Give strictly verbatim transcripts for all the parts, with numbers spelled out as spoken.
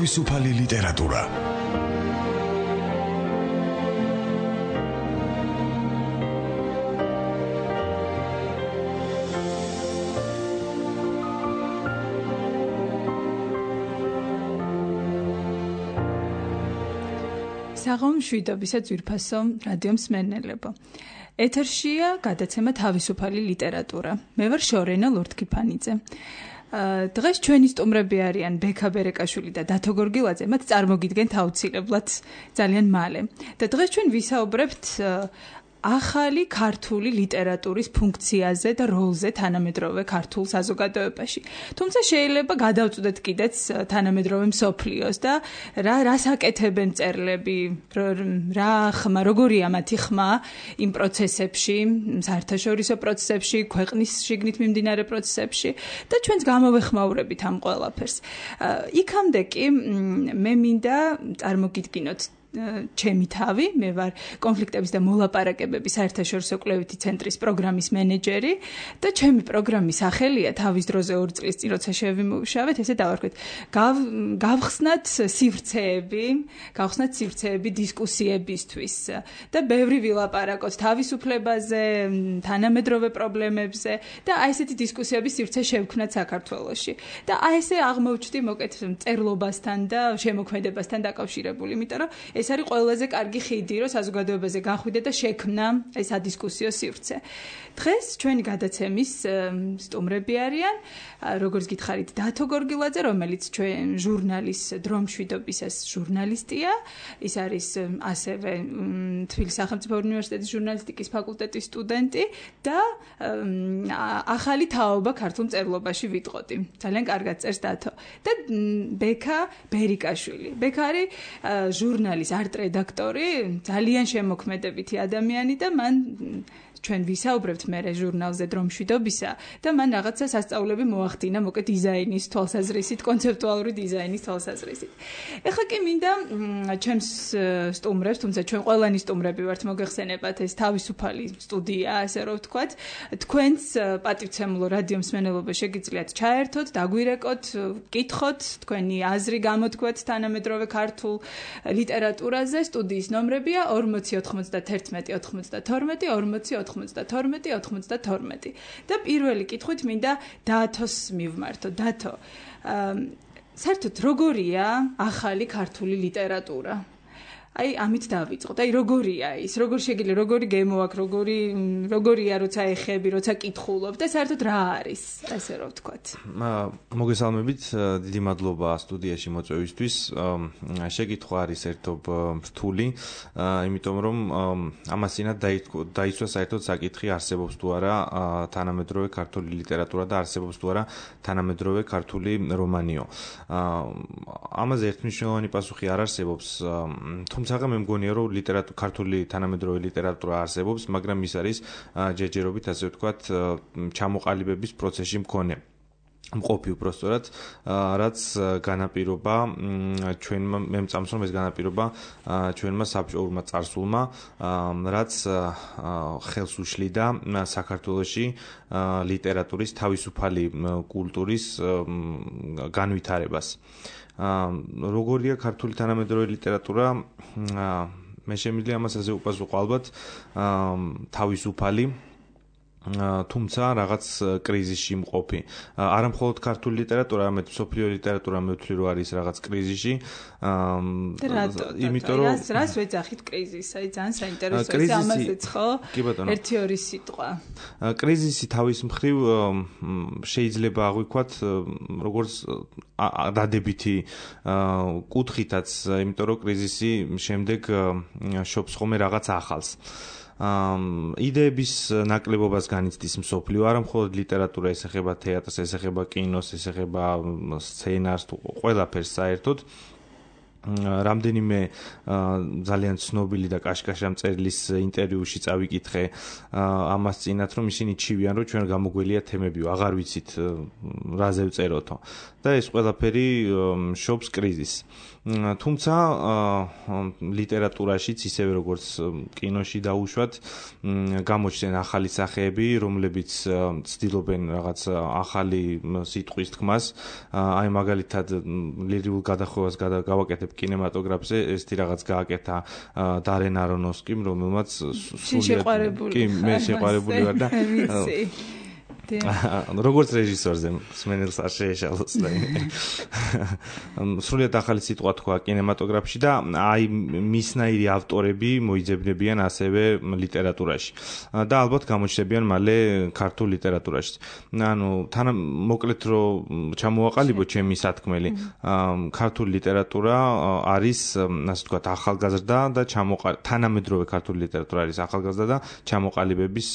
თავისუფალი ლიტერატურა. საღამო მშვიდობისა ძვირფასო რადიო მსმენელებო. ეთერშია გადაცემა თავისუფალი ლიტერატურა. მე ვარ შორენა ლორთქიფანიძე. დღეს ჩვენი სტუმრები არიან ბექა ბერეკაშვილი და დათო გორგილაძე, მათ წარმოგიდგენთ აუცილებლად ძალიან მალე. და დღეს ჩვენ ვისაუბრებთ ახალი ქართული ლიტერატურის ფუნქციაზე და როლზე თანამედროვე ქართულ საზოგადოებაში. თუმცა შეიძლება გადავწყვეტთ კიდეც თანამედროვე მსოფლიოს და რა რას აკეთებენ მწერლები, რა ხმა, როგორია მათი ხმა იმ პროცესებში, საერთაშორისო პროცესებში, ქვეყნის შიგნით მიმდინარე პროცესებში და ჩვენც გამოვეხმაურებით ამ ყველაფერს. იქამდე კი მე მინდა წარმოგიდგინოთ ჩემი თავი, მე ვარ კონფლიქტების და მოლაპარაკებების საერთაშორისო კვლევითი ცენტრის პროგრამის მენეჯერი და ჩემი პროგრამის სახელია თავის დროზე ორი წლის წინ როცა შევიმუშავეთ, ესე დავარქვით, გავხსნათ სივრცეები, გავხსნათ სივრცეები დისკუსიებისთვის და ბევრი ვილაპარაკოთ თავისუფლებაზე, თანამედროვე პრობლემებზე და აი ესეთი დისკუსიების სივრცე შევქმნათ საქართველოში. და აი ესე აღმოვჩნდი მოკეთ მწერლობასთან და შემოქმედებასთან დაკავშირებული, იმიტომ რომ ეს არის ყველაზე კარგი ხიდი, რომ საზოგადოებაზე გახვიდე და შექმნა ეს ადისკუსიო სივრცე. დღეს ჩვენი გადაცემის სტუმრები არიან, როგორც გითხარით, დათო გორგილაძე, რომელიც ჩვენ ჟურნალის დრო მშვიდობისას ჟურნალისტია, ის არის ასევე თბილისის სახელმწიფო უნივერსიტეტის ჟურნალისტიკის ფაკულტეტის სტუდენტი და ახალი თაობა ქართულ მწერლობაში ვიტყოდი. ძალიან კარგად წერს დათო. და ბექა ბერიკაშვილი. ბექა არის ჟურნალის არტ-რედაქტორი, ძალიან შემოქმედებითი ადამიანი და მან ჩვენ ვისაუბრებთ მე ჟურნალზე დრო მშვიდობისა და მან რაღაცა სასწაულები მოახდინა მოკე დიზაინის თვალსაზრისით, კონცეპტუალური დიზაინის თვალსაზრისით. ეხლა კი მინდა ჩემს სტუმრებს, თუმცა ჩვენ ყველანი სტუმრები ვართ, მოგეხსენებათ ეს თავისუფალი სტუდია, ასე რომ ვთქვათ, თქვენს პატივცემულო რადიო მსმენელობა შეგიძლიათ ჩაერთოთ, დაგვირეკოთ, გკითხოთ, თქვენი აზრი გამოთქვათ თანამედროვე ქართულ ლიტერატურაზე. სტუდიის ნომრებია ორმოცი ოთხმოცდაერთმეტი ოცდათორმეტი ორმოცი ოთხმოცდათორმეტი ოცდათორმეტი და პირველი კითხვით მინდა დათოს მივმართო. დათო, საერთოდ როგორია ახალი ქართული ლიტერატურა? აი ამით დავიწყოთ. აი როგორია ის, როგორ შეგიძლია, როგორი გემო აქვს, როგორი როგორია როცა ეხები, როცა კითხულობ და საერთოდ რა არის, ასე რომ ვთქვათ. მოგესალმებით, დიდი მადლობა სტუდიაში მოწვევისთვის. შეკითხვა არის ერთობ რთული, იმიტომ რომ ამას წინათ დაიცვა საერთოდ საკითხი, არსებობს თუ არა თანამედროვე ქართული ლიტერატურა და არსებობს თუ არა თანამედროვე ქართული რომანიო. ამაზე ერთმნიშვნელოვანი პასუხი არ არსებობს, თუმცა მე მგონია რომ ლიტერატურა ქართული თანამედროვე ლიტერატურა არსებობს, მაგრამ ის არის ჯერჯერობით ასე ვთქვათ ჩამოყალიბების პროცესში მქონე. მყოფი უბრალოდ, რაც განაპირობა ჩვენმა მე მწამს რომ ეს განაპირობა ჩვენმა საბჭოურმა წარსულმა, რაც ხელს უშლიდა საქართველოში ლიტერატურის თავისუფალი კულტურის განვითარებას. როგორია ქართული თანამედროვე ლიტერატურა? მე შემიძლია ამას ასე უპასუხო, ალბათ თავისუფალი, თუმცა რაღაც კრიზისში მყოფი. არა მხოლოდ ქართული ლიტერატურა, არამედ მსოფლიო ლიტერატურა მე ვთვლი რომ არის რაღაც კრიზისში. იმიტომ რომ რას ვეძახით კრიზისს? აი ძალიან საინტერესოა ამაზეც, ხო? ერთი ორი სიტყვა. კრიზისი თავის მხრივ შეიძლება აღვიქვათ როგორც დადებითი კუთხითაც, იმიტომ რომ კრიზისი შემდეგ შობს ხოლმე რაღაც ახალს. იდეების ნაკლებობას განიცდის მსოფლიო, არა მხოლოდ ლიტერატურა, ეს ეხება თეატრს, ეს ეხება კინოს, ეს ეხება სცენარს, ყველაფერს საერთოდ. რამდენიმე ძალიან ცნობილი და კაშკაშა მწერლის ინტერვიუში წავიკითხე ამას წინათ, რომ ისინი ჩივიან, რომ ჩვენ გამოგველია თემები, აღარ ვიცით რაზე ვწეროთო. და ეს ყველაფერი შობს კრიზისს. თუმცა ლიტერატურაშიც ისევე როგორც კინოში დაუშვათ გამოჩნდნენ ახალი სახეები, რომლებიც ცდილობენ რაღაც ახალი სიტყვის თქმას. აი მაგალითად ლირიკულ გადახვევას გავაკეთებ კინემატოგრაფზე, ესეთი რაღაც გააკეთა დარენ არონოვსკიმ, რომელმაც სრულიად კი მე შეყვარებული ვარ და როგორც რეჟისორზე სმენელს არ შეეშალოს და სრულიად ახალი სიტყვა თქვა კინემატოგრაფში და აი მისნაირი ავტორები მოიძებნებიან ასევე ლიტერატურაში და ალბათ გამოჩნდებიან მალე ქართულ ლიტერატურაში. ანუ თან მოკლედ რომ ჩამოვაყალიბო ჩემი სათქმელი, ქართული ლიტერატურა არის ასე ვთქვათ ახალგაზრდა და თანამედროვე ქართული ლიტერატურა არის ახალგაზრდა და ჩამოყალიბების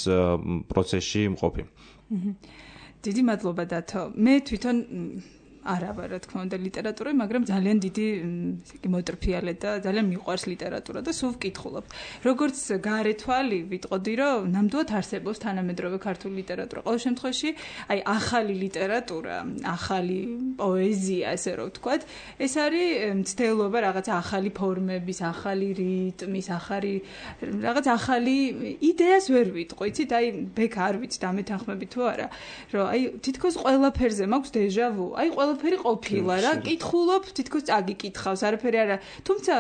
პროცესში მყოფი. დიდი მადლობა დათო. მე თვითონ არა ვარ, რა თქმა უნდა, ლიტერატურა, მაგრამ ძალიან დიდი მოტრფიალე და ძალიან მიყვარს ლიტერატურა და სულ ვკითხულობ. როგორც გარე თვალი ვიტყოდი, რომ ნამდვილად არსებობს თანამედროვე ქართული ლიტერატურა. ყოველ შემთხვევაში, აი ახალი ლიტერატურა, ახალი პოეზია, ასე რომ ვთქვათ, ეს არის მცდელობა რაღაცა ახალი ფორმების, ახალი რიტმის, ახალი რაღაც ახალი იდეას ვერ ვიტყვი, იცით? აი ბექ არ ვიცით, ამეთანხმები თუ არა, რომ აი თითქოს ყველაფერზე მაქვს დეჟავუ. აი ყველაფერი ყოფილა რა, კითხულობ, თითქოს წაგიკითხავს, არაფერი არა. თუმცა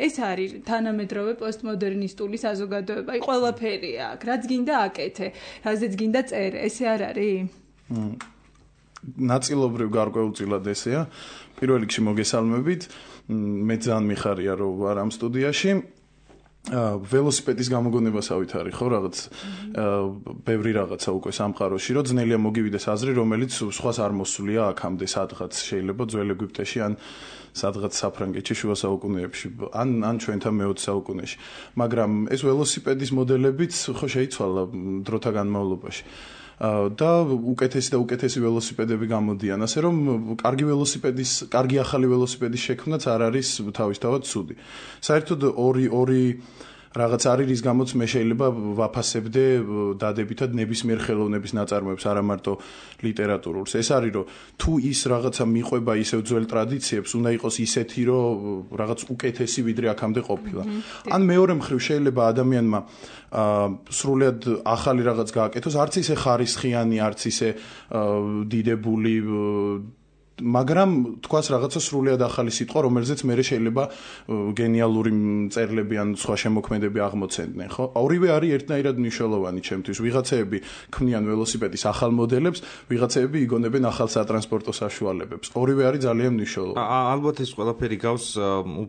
ეს არის თანამედროვე პოსტმოდერნისტული საზოგადოება. აი ყველაფერი აქვს, რაც გინდა აკეთე, რაზეც გინდა წერე, ესე არ არის? ნაწილობრივ გარკვეულწილად ესეა. პირველ რიგში მოგესალმებით. მე ძალიან მიხარია რომ ვარ ამ სტუდიაში. ველოსიპედის გამოგონებასავით არის ხო რაღაც ბევრი რაღაცა უკვე სამყაროში რომ ძნელია მოგივიდეს აზრი რომელიც სხვას არ მოსულია აქამდე სადღაც შეიძლება ძველ ეგვიპტეში ან სადღაც საფრანგეთში შუა საუკუნეებში ან ან ჩვენთან მეოცე საუკუნეში მაგრამ ეს ველოსიპედის მოდელებიც ხო შეიცვალა დროთა განმავლობაში და უკეთესი და უკეთესი ველოსიპედები გამოდიან ასე რომ კარგი ველოსიპედის კარგი ახალი ველოსიპედის შექმნაც არ არის თავისთავად ცუდი საერთოდ ორი ორი რაღაც არის რის გამოც მე შეიძლება ვაფასებდე დადებითად ნებისმიერ ხელოვნების ნაწარმოებს არა მარტო ლიტერატურულს ეს არის რომ თუ ის რაღაცა მიყვება ისევ ძველ ტრადიციებს უნდა იყოს ისეთი რომ რაღაც უკეთესი ვიდრე აქამდე ყოფილა ან მეორე მხრივ შეიძლება ადამიანმა სრულიად ახალი რაღაც გააკეთოს არც ისე ხარისხიანი არც ისე დიდებული მაგრამ თქვას რაღაცა სრულიად ახალი სიტყვა რომელზეც მე შეიძლება გენიალური წერლები ან სხვა შემოქმედები აღმოცენდნენ ხო ორივე არის ერთნაირად მნიშვნელოვანი ჩემთვის ვიღაცეები ქმნიან ველოსიპედის ახალ მოდელებს ვიღაცეები იგონებენ ახალ სატრანსპორტო საშუალებებს ორივე არის ძალიან მნიშვნელოვანი ალბათ ეს ყველაფერი გავს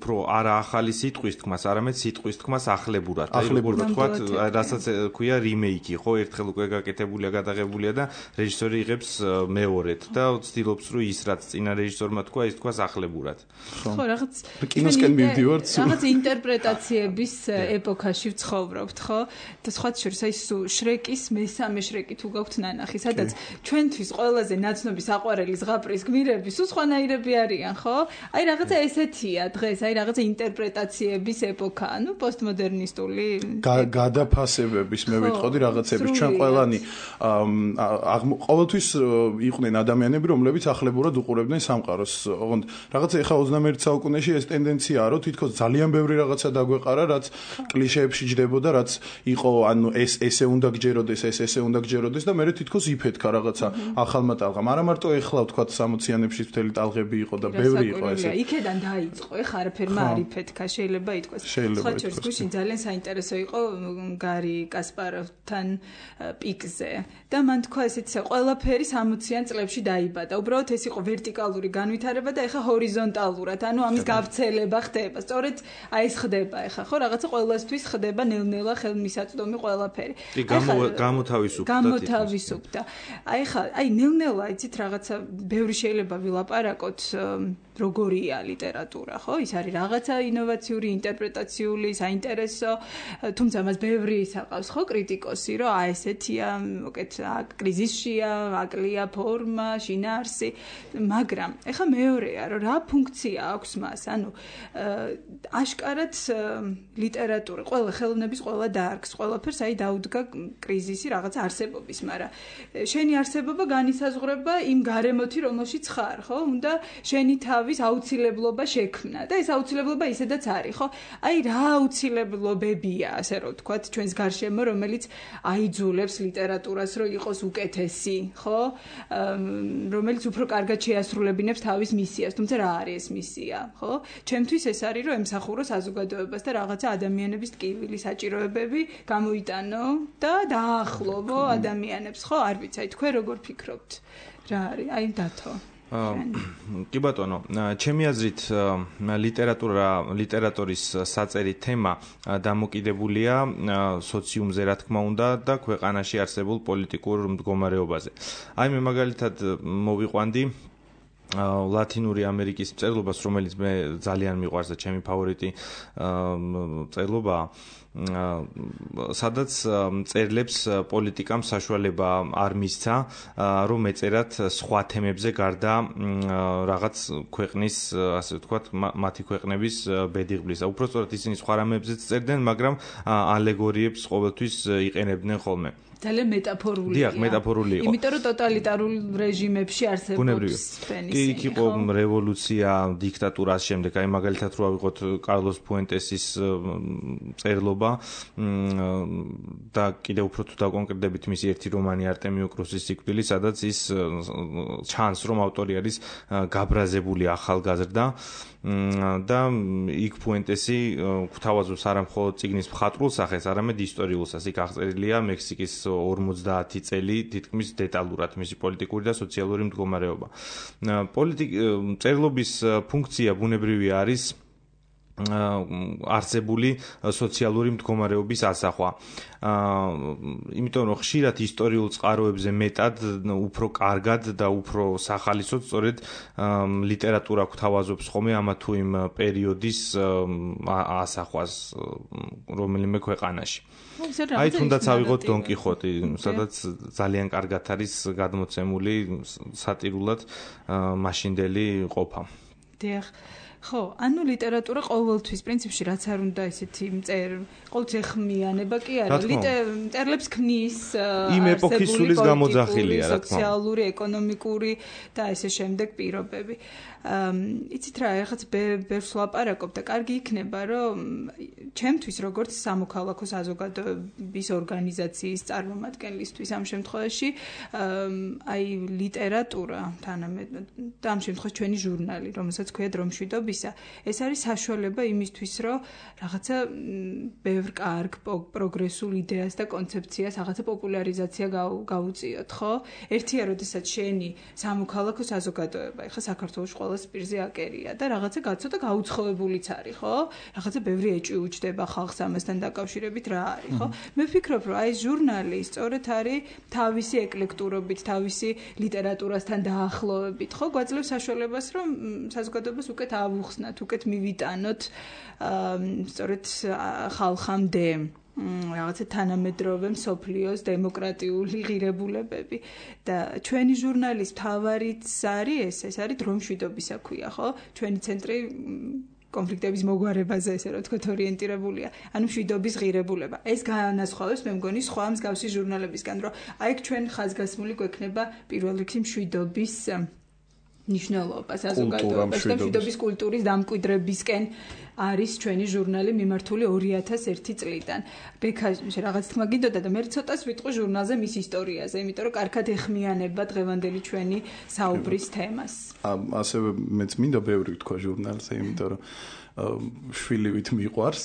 უფრო არა ახალი სიტყვის თქმას არამედ სიტყვის თქმას ახლებურად აი როგორ ვთქვათ რასაც ქვია რიმეიკი ხო ერთხელ უკვე გაკეთებულია გადაღებულია და რეჟისორი იღებს მეორედ და ცდილობს რომ ის რაც წინა რეჟისორმა თქვა ის თქვას ახლებურად. ხო, რაღაც კინოსკენ მივდივართ. რაღაც ინტერპრეტაციების ეპოქაში ვცხოვრობთ, ხო? და სხვა შორის აი შრეკის მესამე შრეკი თუ გაქვთ ნანახი, სადაც ჩვენთვის ყველაზე ნაცნობი საყვარელი ზღაპრის გმირები სულ სხვანაირები არიან, ხო? აი რაღაცა ესეთია დღეს, აი რაღაცა ინტერპრეტაციების ეპოქა, ანუ პოსტმოდერნისტული გადაფასებების მე ვიტყოდი რაღაცების ჩვენ ყველანი ყოველთვის იყვნენ ადამიანები, რომლებიც ახლებურად უყურებდნენ სამყაროს. ოღონდ რაღაცა ეხა ოცნამეერთე საუკუნეში ეს ტენდენციაა, რომ თითქოს ძალიან ბევრი რაღაცა დაგვეყარა, რაც კლიშეებში ჯდებოდა, რაც იყო, ანუ ეს ესე უნდა გჯეროდეს, ეს ესე უნდა გჯეროდეს და მე თითქოს იფეთქა რაღაცა ახალმა ტალღამ. არა მარტო ეხლა ვთქვათ სამოციანებში მთელი ტალღები იყო და ბევრი იყო ესე. იქედან დაიწყო, ეხა არაფერმა არ იფეთქა, შეიძლება ითქვას. სხვა შორის გუშინ ძალიან საინტერესო იყო გარი კასპაროვთან პიკზე და მან თქვა ესეც ყველაფერი სამოციან წლებში დაიბადა. უბრალოდ ეს იყო ვერტიკალური განვითარება და ეხა ჰორიზონტალურად, ანუ ამის გავრცელება ხდება. სწორედ აი ეს ხდება ეხა, ხო, რაღაცა ყოველასთვის ხდება ნელ-ნელა ხელმისაწვდომი ყველაფერი. კი, გამოთავისუფლდა. გამოთავისუფლდა. აი ეხა, აი ნელ-ნელა იცით რაღაცა ბევრი შეიძლება ვილაპარაკოთ როგორია ლიტერატურა, ხო? ის არის რაღაცა ინოვაციური, ინტერპრეტაციული, საინტერესო, თუმცა მას ბევრი ისაყავს, ხო, კრიტიკოსი, რომ აი ესეთია, მოკეთ, კრიზისშია, აკლია ფორმა, შინაარსი, მაგრამ ეხა მეორეა, რომ რა ფუნქცია აქვს მას, ანუ აშკარად ლიტერატურა, ყველა ხელოვნების ყველა დაარგს, ყველაფერს აი დაუდგა კრიზისი რაღაცა არსებობის, მაგრამ შენი არსებობა განისაზღვრება იმ გარემოთი, რომელშიც ხარ, ხო? უნდა შენი თავი თავის აუცილებლობა შექმნა და ეს აუცილებლობა ისედაც არის, ხო? აი რა აუცილებლობებია, ასე რომ ვთქვათ, ჩვენს გარშემო, რომელიც აიძულებს ლიტერატურას, რომ იყოს უკეთესი, ხო? რომელიც უფრო კარგად შეასრულებინებს თავის მისიას, თუმცა რა არის ეს მისია, ხო? ჩემთვის ეს არის, რომ ემსახურო საზოგადოებას და რაღაცა ადამიანების ტკივილი საჭიროებები გამოიტანო და დაახლოვო ადამიანებს, ხო? არ ვიცი, აი თქვენ როგორ ფიქრობთ? რა არის? აი დათო. კი ბატონო, ჩემი აზრით ლიტერატურა, ლიტერატურის საწერი თემა დამოკიდებულია სოციუმზე, რა თქმა უნდა, და ქვეყანაში არსებულ პოლიტიკურ მდგომარეობაზე. აი მე მაგალითად მოვიყვანდი ლათინური ამერიკის მწერლობას, რომელიც მე ძალიან მიყვარს და ჩემი ფავორიტი მწერლობაა, სადაც მწერლებს პოლიტიკამ საშუალება არ მისცა, რომ ეწერათ სხვა თემებზე გარდა რაღაც ქვეყნის, ასე ვთქვათ, მათი ქვეყნების ბედიღბლისა. უпростоრად ისინი სხვა რამებზეც წერდნენ, მაგრამ ალეგორიებს ყოველთვის იყენებდნენ ხოლმე. ძალიან მეტაფორულია. დიახ, მეტაფორული იყო. იმიტომ რომ ტოტალიტარულ რეჟიმებში არსებობს ფენისი. იქ იყო რევოლუცია, დიქტატურა, ამ შემდეგ, აი მაგალითად რო ავიღოთ კარლოს ფუენტესის წერლობა და კიდევ უფრო თუ დაკონკრეტებით მისი ერთი რომანი არტემიო კრუსის სიკვდილი, სადაც ის ჩანს, რომ ავტორი არის გაბრაზებული ახალგაზრდა და იქ ფუენტესი გვთავაზობს არა მხოლოდ წიგნის მხატვრულ სახეს, არამედ ისტორიულ სახეს. იქ აღწერილია მექსიკის ორმოცდაათი წელი თითქმის დეტალურად მისი პოლიტიკური და სოციალური მდგომარეობა. წერლობის ფუნქცია ბუნებრივია არის არსებული სოციალური მდგომარეობის ასახვა. იმიტომ რომ ხშირად ისტორიულ წყაროებზე მეტად უფრო კარგად და უფრო სახალისოდ სწორედ ლიტერატურა გვთავაზობს ხოლმე ამა თუ იმ პერიოდის ასახვას რომელიმე ქვეყანაში. აი თუნდაც ავიღოთ დონ კიხოტი, სადაც ძალიან კარგად არის გადმოცემული სატირულად მაშინდელი ყოფა. დიახ. ხო, ანუ ლიტერატურა ყოველთვის პრინციპში რაც არ უნდა ესეთი მწერ, ყოველთვის ეხმიანება კი არა, მწერლებს ქმნის იმ ეპოქის სულის გამოძახილია, რა თქმა უნდა, სოციალური, ეკონომიკური და ესე შემდეგ პირობები. იცით რა, ეხაც ბევრს ვლაპარაკობ და კარგი იქნება, რომ ჩემთვის როგორც სამოქალაქო საზოგადოების ორგანიზაციის წარმომადგენლისთვის ამ შემთხვევაში აი ლიტერატურა თანამედროვე და ამ შემთხვევაში ჩვენი ჟურნალი, რომელსაც ქვია დრომშვიდობისა, ეს არის საშუალება იმისთვის, რომ რაღაცა ბევრ კარგ პროგრესულ იდეას და კონცეფციას, რაღაცა პოპულარიზაცია გაუწიოთ, ხო? ერთია, როდესაც შენი სამოქალაქო საზოგადოება, ეხლა საქართველოში ყველა სპირზე აკერია და რაღაცა გაცოტა გაუცხოებულიც არის, ხო? რაღაცა ბევრი ეჭვი უჩდება ხალხს ამასთან დაკავშირებით რა არის, ხო? მე ვფიქრობ, რომ აი ჟურნალი სწორედ არის თავისი ეკლექტურობით, თავისი ლიტერატურასთან დაახლოებით, ხო? გვაძლევს საშუალებას, რომ საზოგადოებას უკეთ ავუხსნათ, უკეთ მივიტანოთ სწორედ ხალხამდე რაღაცა თანამედროვე მსოფლიოს დემოკრატიული ღირებულებები და ჩვენი ჟურნალის მთავარიც არის ეს, ეს არის დრომშვიდობისა ქვია, ხო? ჩვენი ცენტრი კონფლიქტების მოგვარებაზე, ესე რომ ვთქვათ, ორიენტირებულია. ანუ მშვიდობის ღირებულება. ეს განასხვავებს, მე მგონი, სხვა მსგავსი ჟურნალებისგან, რომ აი ჩვენ ხაზგასმული გვექნება პირველ რიგში მშვიდობის ნიშნულობა საზოგადოებაში და მშვიდობის კულტურის დამკვიდრებისკენ არის ჩვენი ჟურნალი მიმართული ორი ათას ერთი წლიდან. ბექა რაღაც თქმა გინდოდა და მე ცოტას ვიტყვი ჟურნალზე მის ისტორიაზე, იმიტომ რომ კარგად ეხმიანება დღევანდელი ჩვენი საუბრის თემას. ასევე მეც მინდა ბევრი თქვა ჟურნალზე, იმიტომ რომ შვილივით მიყვარს,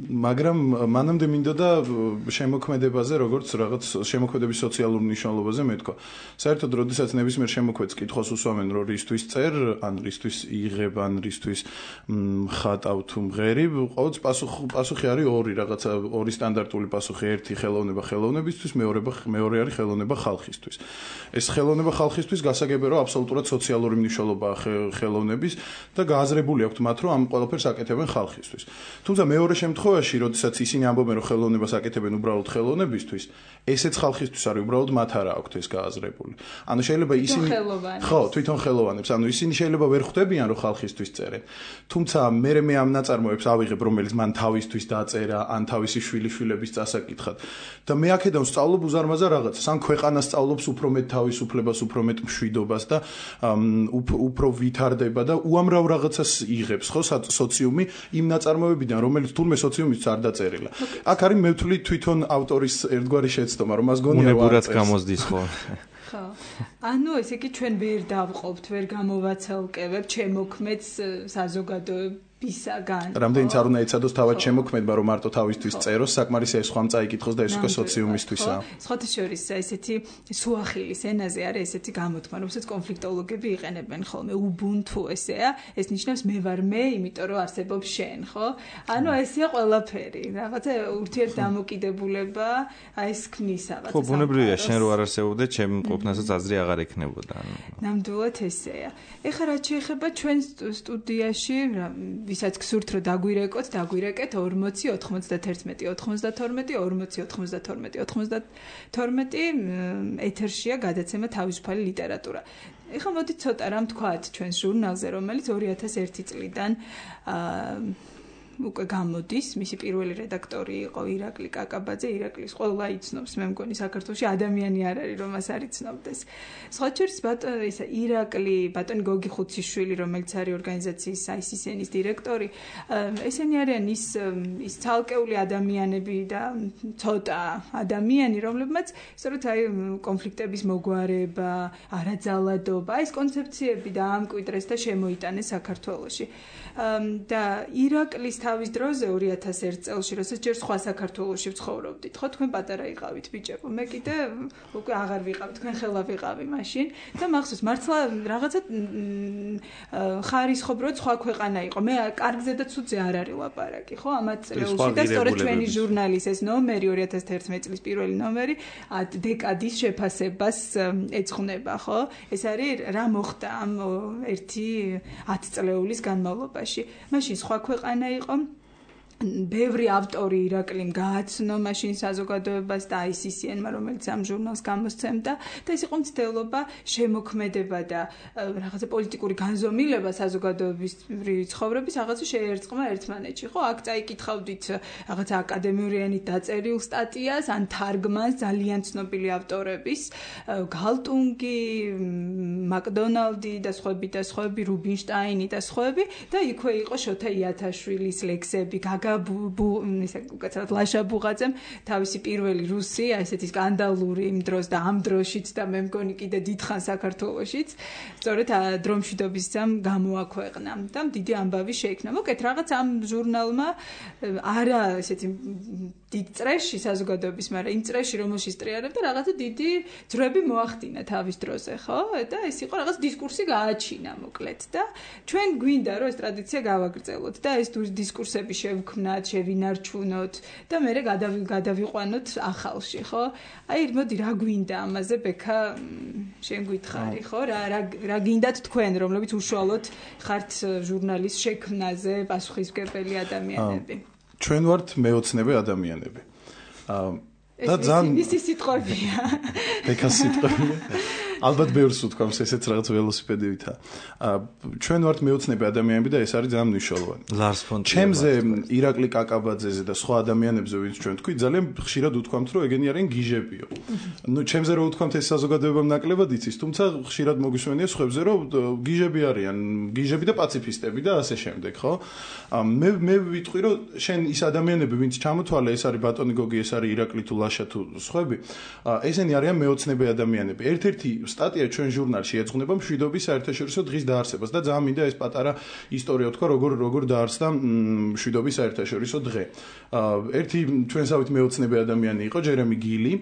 მაგრამ მანამდე მინდოდა შემოქმედებაზე, როგორც რაღაც შემოქმედების სოციალურ მნიშვნელობაზე მეთქვა. საერთოდ, როდესაც ნებისმიერ შემოქმედს კითხოს უსვამენ, რომ რისთვის წერ, ან რისთვის იღებ, ან რისთვის ხატავ თუ მღერიბ, ყოველთვის პასუხი არის ორი, რაღაცა ორი სტანდარტული პასუხი, ერთი ხელოვნება ხელოვნებისთვის, მეორე მეორე არის ხელოვნება ხალხისთვის. ეს ხელოვნება ხალხისთვის გასაგებია, რომ აბსოლუტურად სოციალური მნიშვნელობაა ხელოვნების და გააზრებული აქვთ მათ, რომ ამ ყველაფერს აკეთებენ ხალხისთვის. თუმცა მეორე შემთხვევაში, როდესაც ისინი ამბობენ, რომ ხელოვნებას აკეთებენ უბრალოდ ხელოვნებისთვის, ესეც ხალხისთვის არის, უბრალოდ მათ არა აქვთ ეს გააზრებული. ანუ შეიძლება ისინი ხო, თვითონ ხელოვანებს, ანუ ისინი შეიძლება ვერ ხვდებიან, რომ ხალხისთვის წერენ. თუმცა მე მე ამ ნაწარმოებს ავიღებ, რომელიც მან თავისთვის დაწერა, ან თავისი შვილიშვილების წასაკითხად. და მე აქედან ვსწავლობ უზარმაზარ რაღაცას, ან ქვეყანა სწავლობს უფრო მეტ თავისუფლებას, უფრო მეტ მშვიდობას და უფრო ვითარდება და უამრავ რაღაცას იღებს, ხო, სოციუმი იმ ნაწარმოებიდან, რომელიც თურმე სოციუმის არ დაწერილა. აქ არის მე ვთვლი თვითონ ავტორის ერთგვარი შეცდომა, რომ მას გონია უნებურად გამოსდის, ხო? ხო. ანუ ესე იგი ჩვენ ვერ დავყოფთ, ვერ გამოვაცალკევებთ შემოქმედს საზოგადოებრივ ისაგან. რამდენიც არ უნდა ეცადოს თავად შემოქმედმა, რომ მარტო თავისთვის წეროს, საკმარისია ეს ხომ წაიკითხოს და ეს უკვე სოციუმისთვისაა. სხვათა შორის ესეთი სუახილის ენაზე არის ესეთი გამოთქმა, რომელსაც კონფლიქტოლოგები იყენებენ ხოლმე, უბუნთუ ესეა, ეს ნიშნავს მე ვარ მე, იმიტომ რომ არსებობს შენ, ხო? ანუ ესეა ყველაფერი, რაღაცა ურთიერთდამოკიდებულება, აი ეს ქმნის რაღაცა. ხო, ბუნებრივია, შენ რო არ არსებობდე, ჩემ ყოფნასაც აზრი აღარ ექნებოდა. ნამდვილად ესეა. ეხლა რაც შეეხება ჩვენ სტუდიაში ვისაც გსურთ რომ დაგვირეკოთ, დაგვირეკეთ ორმოცი ოთხმოცდათერთმეტი ოცდათორმეტი ორმოცი ოცდათორმეტი ოცდათორმეტი ეთერშია გადაცემა თავისუფალი ლიტერატურა. ეხლა მოდით ცოტა რამ თქვათ ჩვენს ჟურნალზე, რომელიც ორი ათას ერთი წლიდან უკვე გამოდის, მისი პირველი რედაქტორი იყო ირაკლი კაკაბაძე, ირაკლის ყველა იცნობს, მე მგონი საქართველოში ადამიანი არ არის რომ მას არ იცნობდეს. სხვა შორის ბატონი ისა ირაკლი, ბატონი გოგი ხუციშვილი, რომელიც არის ორგანიზაციის აი ეს ეს ენის დირექტორი, ესენი არიან ის ის ცალკეული ადამიანები და ცოტა ადამიანი, რომლებმაც სწორედ აი კონფლიქტების მოგვარება, არაძალადობა, ეს კონცეფციები დაამკვიდრეს და შემოიტანეს საქართველოში. და ირაკლის თავის დროზე ორი ათას ერთ წელს, როდესაც ჯერ სხვა საქართველოში ვცხოვრობდით, ხო, თქვენ პატარა იყავით ბიჭებო, მე კიდე უკვე აღარ ვიყავ, თქვენ ხელა ვიყავი მაშინ და მახსოვს მართლა რაღაცა ხარისხობრივად სხვა ქვეყანა იყო. მე კარგზედაც უძე არ არის ლაპარაკი, ხო, ამათ წელში და სწორედ ჩვენი ჟურნალის ეს ნომერი ორი ათას თერთმეტი წლის პირველი ნომერი დეკადის შეფასებას ეძღვნება, ხო? ეს არის რა მოხდა ამ ერთი ათწლეულის განმავლობაში. მაშინ სხვა ქვეყანა იყო ბევრი ავტორი ირაკლიმ გააცნო მაშინ საზოგადოებას და აი ეს ეს ენ-მა, რომელიც ამ ჟურნალს გამოსცემდა და ეს იყო მცდელობა შემოქმედება და რაღაცა პოლიტიკური განზომილება საზოგადოებრივი ცხოვრების რაღაცა შეერწყმა ერთმანეთში, ხო? აქ წაიკითხავდით რაღაცა აკადემიურიანით დაწერილ სტატიას, ან თარგმანს ძალიან ცნობილი ავტორების, გალტუნგი, მაკდონალდი და სხვები და სხვები, რუბინშტაინი და სხვები და იქვე იყო შოთა იათაშვილის ლექსები, ისე უკაცრავად ლაშა ბუღაძემ თავისი პირველი რუსი, ესეთი სკანდალური იმ დროს და ამ დროშიც და მე მგონი კიდე დიდხან საქართველოშიც, სწორედ დრომშვიდობის ძამ გამოაქვეყნა და დიდი ამბავი შეიქმნა. მოკეთ რაღაც ამ ჟურნალმა არა ესეთი დიდ წრეში საზოგადოების, მაგრამ იმ წრეში რომელშიც ტრიალებდა რაღაცა დიდი ძრები მოახდინა თავის დროზე, ხო? და ეს იყო რაღაც დისკურსი გააჩინა მოკლედ და ჩვენ გვინდა რომ ეს ტრადიცია გავაგრძელოთ და ეს დისკურსები შევქმნათ, შევინარჩუნოთ და მე გადავიყვანოთ ახალში, ხო? აი, მოდი რა გვინდა ამაზე, ბექა, შენ გითხარი, ხო? რა რა გინდათ თქვენ, რომლებიც უშუალოდ ხართ ჟურნალის შექმნაზე პასუხისმგებელი ადამიანები? ჩვენ ვართ მეოცნები ადამიანები. და ძალიან ისი სიტყვებია. ბექა სიტყვებია. ალბათ ბევრს უთქვამს ესეც რაღაც ველოსიპედივითა. ჩვენ ვართ მეოცნები ადამიანები და ეს არის ძალიან მნიშვნელოვანი. ლარს ფონ ჩემზე ირაკლი კაკაბაძეზე და სხვა ადამიანებზე ვინც ჩვენ თქვი, ძალიან ხშირად უთქვამთ, რომ ეგენი არიან გიჟებიო. ნუ ჩემზე რო უთქვამთ ეს საზოგადოებამ ნაკლებად იცის, თუმცა ხშირად მოგვისმენია სხვებზე, რომ გიჟები არიან, გიჟები და პაციფისტები და ასე შემდეგ, ხო? მე მე ვიტყვი, რომ შენ ის ადამიანები, ვინც ჩამოთვალე, ეს არის ბატონი გოგი, ეს არის ირაკლი თუ ლაშა თუ სხვები, ესენი არიან მეოცნები ადამიანები. ერთ-ერთი სტატია ჩვენ ჟურნალში ეძღვნება მშვიდობის საერთაშორისო დღის დაარსებას და ძალიან მინდა ეს პატარა ისტორია თქვა, როგორ როგორ დაარსდა მშვიდობის საერთაშორისო დღე. ერთი ჩვენსავით მეოცნები ადამიანი იყო ჯერემი გილი,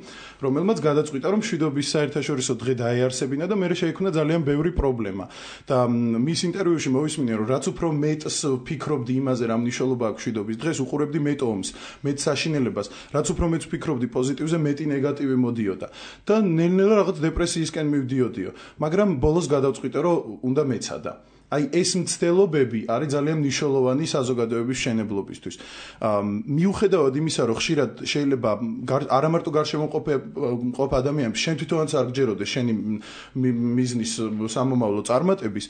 რომელმაც გადაწყვიტა, რომ მშვიდობის საერთაშორისო დღე დაეარსებინა და მერე შეიქმნა ძალიან ბევრი პრობლემა. და მის ინტერვიუში მოვისმინე, რომ რაც უფრო მეტს ფიქრობდი იმაზე, რა მნიშვნელობა აქვს მშვიდობის დღეს, უყურებდი მეტ ომს, მეტ საშინელებას, რაც უფრო მეტს ფიქრობდი პოზიტივზე, მეტი ნეგატივი მოდიოდა. და ნელ-ნელა რაღაც დეპრესიისკენ მივდიოდიო, მაგრამ ბოლოს გადავწყვიტე, რომ უნდა მეცადა. აი ეს მცდელობები არის ძალიან მნიშვნელოვანი საზოგადოების მშენებლობისთვის. მიუხედავად იმისა, რომ ხშირად შეიძლება არა მარტო გარშემოყოფ ადამიანებს შენ თვითონაც არ გჯეროდეს შენი მიზნის სამომავლო წარმატების,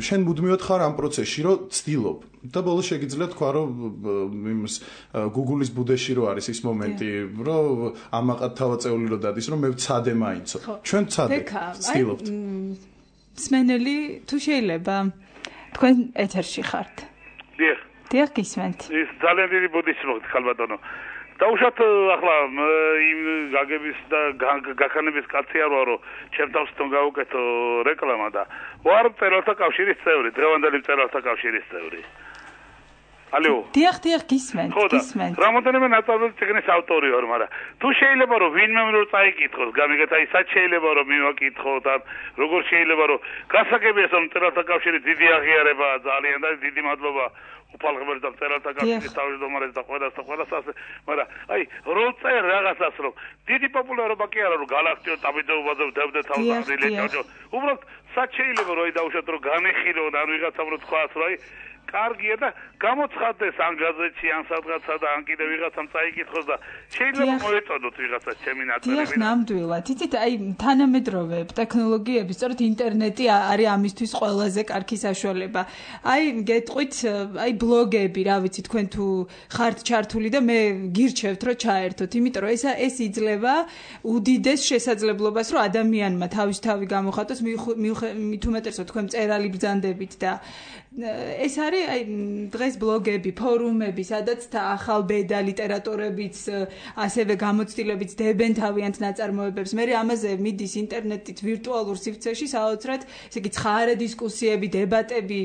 შენ მუდმივად ხარ ამ პროცესში, რომ ცდილობ. და ბოლოს შეგიძლია თქვა, რომ იმის Google-ის ბუდეში რო არის ის მომენტი, რომ ამაყად თავაწეული რო დადის, რომ მე ვცადე მაინცო. ჩვენ ვცადეთ, ცდილობთ. სმენელი თუ შეიძლება თქვენ ეთერში ხართ. დიახ. დიახ, გისმენთ. ის ძალიან დიდი ბუდისი მოხდა ხალბატონო. დაუშვათ ახლა იმ გაგების და გაქანების კაცი არ ვარო, ჩემ თავს თვითონ გავუკეთო რეკლამა და ვარ მწერალთა კავშირის წევრი, დღევანდელი მწერალთა კავშირის წევრი. ალო. დიახ, დიახ, გისმენთ, გისმენთ. რამოდენიმე ნაწარმოების წიგნის ავტორი ვარ, მაგრამ თუ შეიძლება რომ ვინმე რო წაიკითხოს, გამიგეთ აი სად შეიძლება რომ მივაკითხოთ, ან როგორ შეიძლება რომ გასაგებია რომ მწერალთა კავშირი დიდი აღიარებაა ძალიან და დიდი მადლობა უფალღმერთ და მწერალთა კავშირის თავმჯდომარეს და ყველას და ყველას ასე, მაგრამ აი რო წერ რაღაცას რომ დიდი პოპულარობა კი არა რომ გალაქტიო ტაბიძეობაზე ვდებდე თავს აღრილე ჯოჯო. უბრალოდ სად შეიძლება რომ აი დაუშვათ რომ განეხილო და ან ვიღაცამ რო თქვას რომ აი კარგია და გამოცხადდეს ან გაზეთში ან სადღაცა და ან კიდე ვიღაცამ წაიკითხოს და შეიძლება მოეწოდოთ ვიღაცა ჩემი ნაწილი. დიახ, ნამდვილად. იცით, აი თანამედროვე ტექნოლოგიები, სწორედ ინტერნეტი არის ამისთვის ყველაზე კარგი საშუალება. აი გეტყვით, აი ბლოგები, რა ვიცი, თქვენ თუ ხართ ჩართული და მე გირჩევთ რომ ჩაერთოთ, იმიტომ რომ ეს ეს იძლევა უდიდეს შესაძლებლობას, რომ ადამიანმა თავის თავი გამოხატოს, მით უმეტესად თქვენ მწერალი ბრძანდებით და ეს არის აი დღეს ბლოგები, ფორუმები, სადაც ახალ ბედა ლიტერატურებიც, ასევე გამოცდილებიც დებენ თავიანთ ნაწარმოებებს. მე ამაზე მიდის ინტერნეტით ვირტუალურ სივრცეში საოცრად, ესე იგი ცხარე დისკუსიები, დებატები,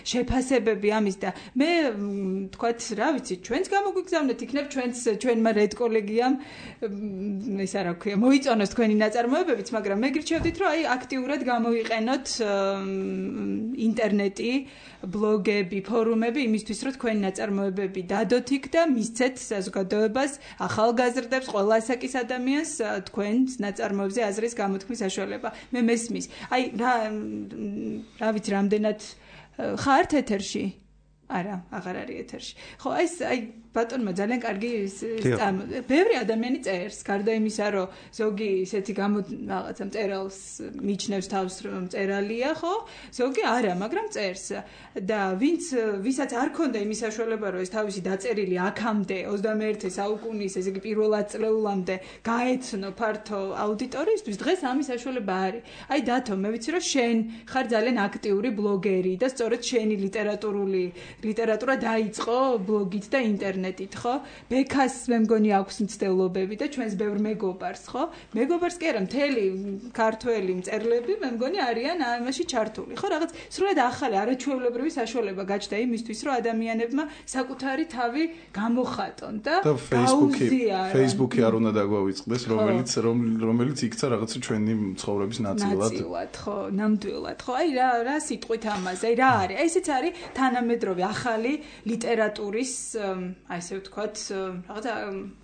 შეფასებები ამის და მე თქვათ, რა ვიცი, ჩვენც გამოგვიგზავნეთ, იქნებ ჩვენც ჩვენმა რედკოლეგიამ ესა რა ქვია, მოიწონოს თქვენი ნაწარმოებებიც, მაგრამ მე გირჩევდით, რომ აი აქტიურად გამოიყენოთ ინტერნეტი, ბლოგები, ფორუმები იმისთვის, რომ თქვენი ნაწარმოებები დადოთ იქ და მისცეთ საზოგადოებას, ახალგაზრდებს, ყველა ასაკის ადამიანს თქვენს ნაწარმოებზე აზრის გამოთქმის საშუალება. მე მესმის. აი რა რა ვიცი, რამდენად ხართ ეთერში? არა, აღარ არის ეთერში. ხო, ეს აი ბატონმა ძალიან კარგი ბევრი ადამიანი წერს, გარდა იმისა, რომ ზოგი ისეთი გამო რაღაცა მწერალს მიჩნევს თავს, რომ მწერალია, ხო? ზოგი არა, მაგრამ წერს. და ვინც ვისაც არ ქონდა იმის საშუალება, რომ ეს თავისი დაწერილი აქამდე ოცდამეერთე საუკუნის, ესე იგი პირველ ათწლეულამდე გაეცნო ფართო აუდიტორიისთვის, დღეს ამის საშუალება არის. აი დათო, მე ვიცი, რომ შენ ხარ ძალიან აქტიური ბლოგერი და სწორედ შენი ლიტერატურული ლიტერატურა დაიწყო ბლოგით და ინტერნეტით, ხო? ბექას მე მგონი აქვს მცდელობები და ჩვენს ბევრ მეგობარს, ხო? მეგობარს კი არა, მთელი ქართველი მწერლები მე მგონი არიან ამაში ჩართული, ხო? რაღაც სრულად ახალი არაჩვეულებრივი საშუალება გაჩნდა იმისთვის, რომ ადამიანებმა საკუთარი თავი გამოხატონ და გაუზიარონ. Facebook-ი არ უნდა დაგვავიწყდეს, რომელიც რომელიც იქცა რაღაცა ჩვენი ცხოვრების ნაწილად. ნაწილად, ხო, ნამდვილად, ხო? აი რა რა სიტყვით ამაზე, აი რა არის? აი ესეც არის თანამედროვე ახალი ლიტერატურის, აი ესე ვთქვათ, რაღაცა